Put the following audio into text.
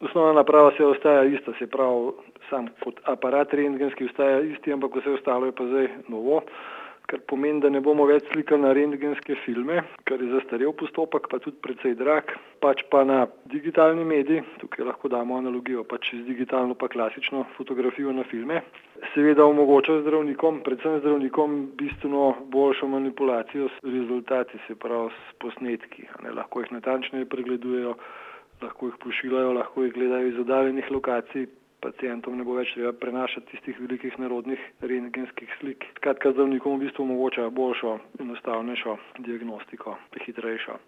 Osnovna naprava se ostaja ista, se pravi, sam kot aparat rentgenski ostaja isti, ampak vse ostalo je pa zdaj novo, kar pomeni, da ne bomo več slikali na rentgenske filme, kar je zastarel postopek, pa tudi precej drag, pač pa na digitalni medij, tukaj lahko damo analogijo pač z digitalno pa klasično fotografijo na filme. Seveda omogoča zdravnikom, predvsem zdravnikom, bistveno boljšo manipulacijo s rezultati, se pravi s posnetki. Lahko jih natančneje pregledujejo, lahko jih pošiljajo, lahko jih gledajo iz oddaljenih lokacij, pacientom ne bo več treba prenašati tistih velikih narodnih rentgenskih slik. Skratka, zdravnikom v bistvu omogoča boljšo, enostavnejšo diagnostiko, hitrejšo.